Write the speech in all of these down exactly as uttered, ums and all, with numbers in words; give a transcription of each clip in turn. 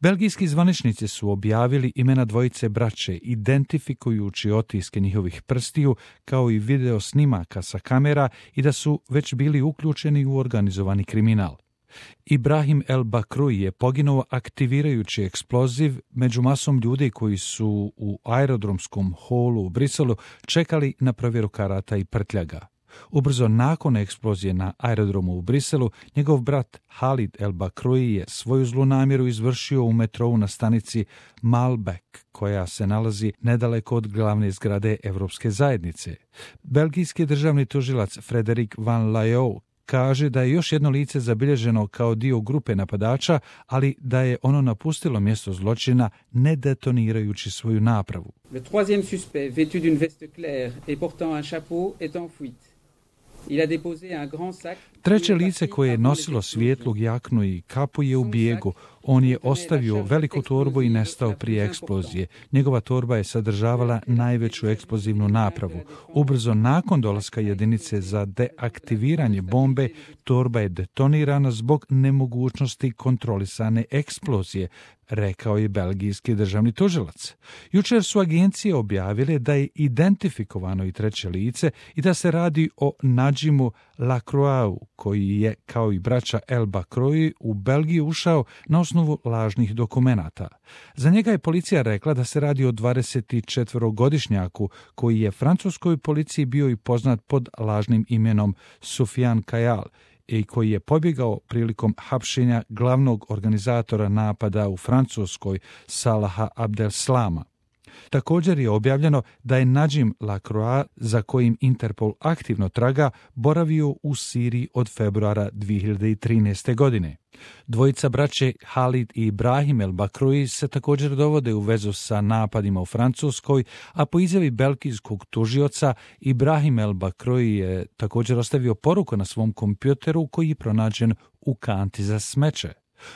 Belgijski zvaničnici su objavili imena dvojice braće, identifikujući otiske njihovih prstiju, kao i video snimaka sa kamera i da su već bili uključeni u organizovani kriminal. Ibrahim El Bakroui je poginuo aktivirajući eksploziv među masom ljudi koji su u aerodromskom holu u Briselu čekali na provjeru karata i prtljaga. Ubrzo nakon eksplozije na aerodromu u Briselu, njegov brat Halid El Bakroui je svoju zlu namjeru izvršio u metrou na stanici Malbec, koja se nalazi nedaleko od glavne zgrade Evropske zajednice. Belgijski državni tužilac Frederic Van Layou kaže da je još jedno lice zabilježeno kao dio grupe napadača, ali da je ono napustilo mjesto zločina ne detonirajući svoju napravu. Le troisième suspect, vêtu d'une veste claire et portant un chapeau, est en fuite. Il a déposé un grand sac. Treće lice koje je nosilo svijetlu jaknu i kapu je u bijegu. On je ostavio veliku torbu i nestao prije eksplozije. Njegova torba je sadržavala najveću eksplozivnu napravu. Ubrzo nakon dolaska jedinice za deaktiviranje bombe, torba je detonirana zbog nemogućnosti kontrolisane eksplozije, rekao je belgijski državni tužilac. Jučer su agencije objavile da je identifikovano i treće lice i da se radi o Nadžimu Lacroixu, koji je, kao i braća El Bakroui, u Belgiju ušao na osnovu lažnih dokumenata. Za njega je policija rekla da se radi o dvadesetčetvorogodišnjaku koji je francuskoj policiji bio i poznat pod lažnim imenom Soufiane Kayal i koji je pobjegao prilikom hapšenja glavnog organizatora napada u Francuskoj, Salaha Abdeslama. Također je objavljeno da je Nadžim Lacroix, za kojim Interpol aktivno traga, boravio u Siriji od februara dvije hiljade trinaeste. godine. Dvojica braće Halid i Ibrahim El Bakroui se također dovode u vezu sa napadima u Francuskoj, a po izjavi belgijskog tužioca Ibrahim El Bakroui je također ostavio poruku na svom kompjuteru koji je pronađen u kanti za smeće.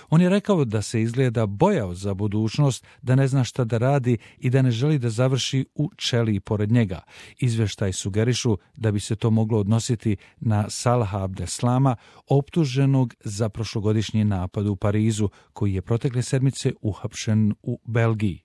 On je rekao da se izgleda bojao za budućnost, da ne zna šta da radi i da ne želi da završi u ćeliji pored njega. Izvještaj sugerišu da bi se to moglo odnositi na Salaha Abdeslama, optuženog za prošlogodišnji napad u Parizu, koji je protekle sedmice uhapšen u Belgiji.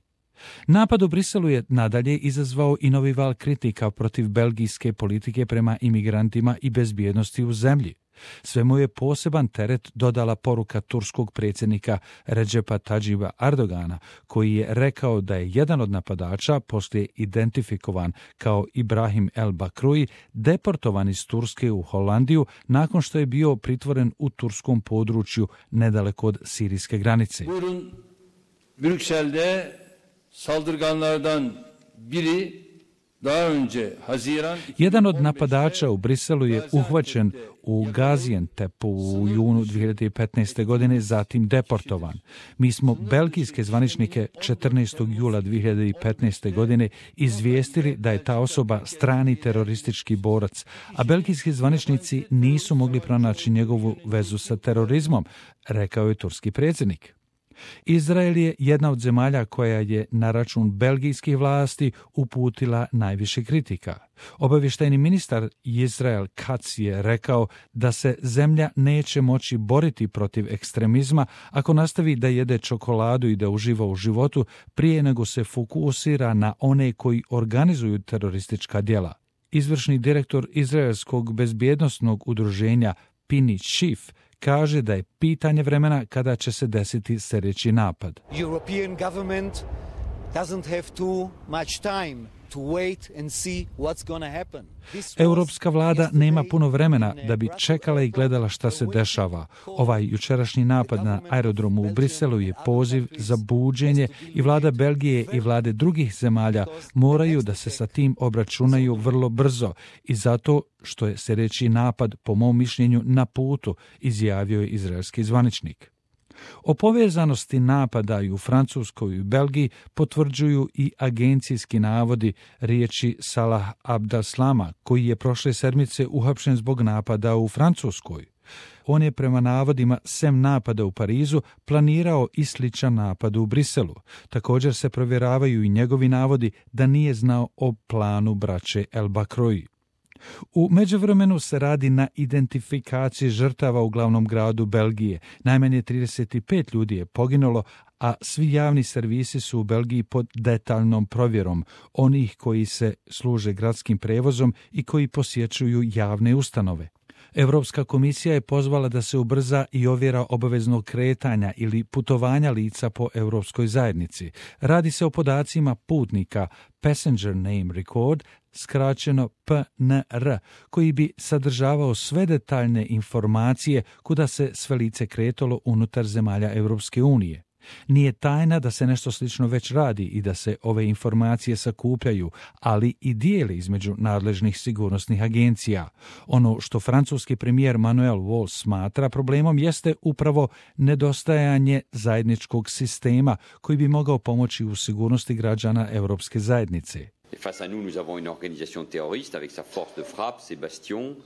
Napad u Briselu je nadalje izazvao i novi val kritika protiv belgijske politike prema imigrantima i bezbjednosti u zemlji. Svemu je poseban teret dodala poruka turskog predsjednika Recepa Tayyipa Erdogana, koji je rekao da je jedan od napadača, poslije identifikovan kao Ibrahim El Bakroui, deportovan iz Turske u Holandiju nakon što je bio pritvoren u turskom području nedaleko od sirijske granice. Buyurun, Brüksel'de saldırganlardan biri daha önce Haziran... Jedan od napadača u Briselu je uhvaćen u Gaziantepu u junu dvije hiljade petnaeste. godine, zatim deportovan. Mi smo belgijske zvaničnike četrnaestog jula dvije hiljade petnaeste. godine izvijestili da je ta osoba strani teroristički borac, a belgijski zvaničnici nisu mogli pronaći njegovu vezu sa terorizmom, rekao je turski predsjednik. Izrael je jedna od zemalja koja je na račun belgijskih vlasti uputila najviše kritika. Obavještajni ministar Israel Katz je rekao da se zemlja neće moći boriti protiv ekstremizma ako nastavi da jede čokoladu i da uživa u životu prije nego se fokusira na one koji organizuju teroristička djela. Izvršni direktor izraelskog bezbjednosnog udruženja Pini Chief kaže da je pitanje vremena kada će se desiti sljedeći napad. European government doesn't have too much time to wait and see what's going to happen. Europska vlada nema puno vremena da bi čekala i gledala šta se dešava. Ovaj jučerašnji napad na aerodromu u Briselu je poziv za buđenje i vlada Belgije i vlade drugih zemalja moraju da se sa tim obračunaju vrlo brzo i zato što je sljedeći napad, po mom mišljenju, na putu, izjavio je izraelski zvaničnik. O povezanosti napada i u Francuskoj i u Belgiji potvrđuju i agencijski navodi riječi Salah Abdeslama, koji je prošle sedmice uhapšen zbog napada u Francuskoj. On je prema navodima, sem napada u Parizu, planirao i sličan napad u Briselu. Također se provjeravaju i njegovi navodi da nije znao o planu braće El Bakroui. U međuvremenu se radi na identifikaciji žrtava u glavnom gradu Belgije. Najmanje trideset pet ljudi je poginulo, a svi javni servisi su u Belgiji pod detaljnom provjerom onih koji se služe gradskim prevozom i koji posjećuju javne ustanove. Europska komisija je pozvala da se ubrza i ovjera obaveznog kretanja ili putovanja lica po europskoj zajednici. Radi se o podacima putnika Passenger Name Record, skraćeno P N R, koji bi sadržavao sve detaljne informacije kuda se sve lice kretalo unutar zemalja Europske unije. Nije tajna da se nešto slično već radi i da se ove informacije sakupljaju, ali i dijeli između nadležnih sigurnosnih agencija. Ono što francuski premijer Manuel Valls smatra problemom jeste upravo nedostajanje zajedničkog sistema koji bi mogao pomoći u sigurnosti građana Europske zajednice. Face à nous, nous avons une organisation terroriste avec sa force de frappe, ses bastions.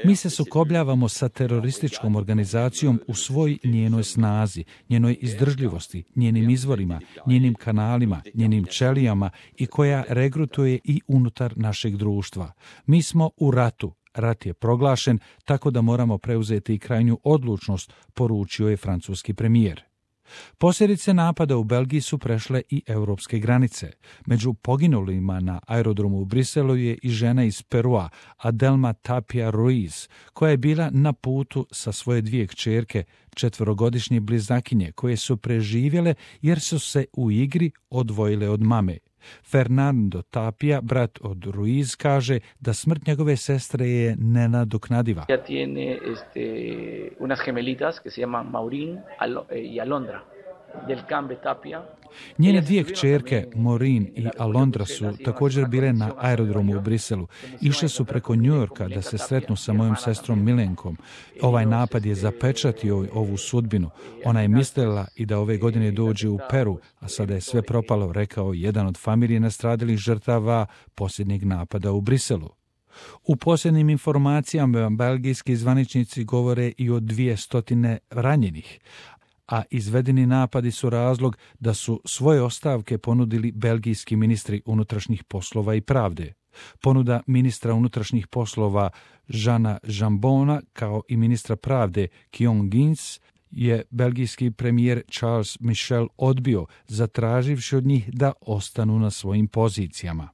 Mi se sukobljavamo sa terorističkom organizacijom u svoj njenoj snazi, njenoj izdržljivosti, njenim izvorima, njenim kanalima, njenim ćelijama i koja regrutuje i unutar našeg društva. Mi smo u ratu. Rat je proglašen, tako da moramo preuzeti i krajnju odlučnost, poručio je francuski premijer. Posljedice napada u Belgiji su prešle i europske granice. Među poginulima na aerodromu u Briselu je i žena iz Perua, Adelma Tapia Ruiz, koja je bila na putu sa svoje dvije kćerke, četverogodišnje blizakinje, koje su preživjele jer su se u igri odvojile od mame. Fernando Tapia, brat od Ruiz, kaže da smrt njegove sestre je nenadoknadiva. Ella tiene este, unas gemelitas que se llaman Maureen y Alondra. Del Cambe Tapia. Njene dvije kćerke, Maureen i Alondra, su također bile na aerodromu u Briselu. Išle su preko Njujorka da se sretnu sa mojom sestrom Milenkom. Ovaj napad je zapečatio ovu sudbinu. Ona je mislila i da ove godine dođe u Peru, a sada je sve propalo, rekao jedan od familije nastradalih žrtava posljednjeg napada u Briselu. U posljednjim informacijama belgijski zvaničnici govore i o dvije stotine ranjenih, a izvedeni napadi su razlog da su svoje ostavke ponudili belgijski ministri unutrašnjih poslova i pravde. Ponuda ministra unutrašnjih poslova Žana Jambona kao i ministra pravde Kion Gins je belgijski premijer Charles Michel odbio, zatraživši od njih da ostanu na svojim pozicijama.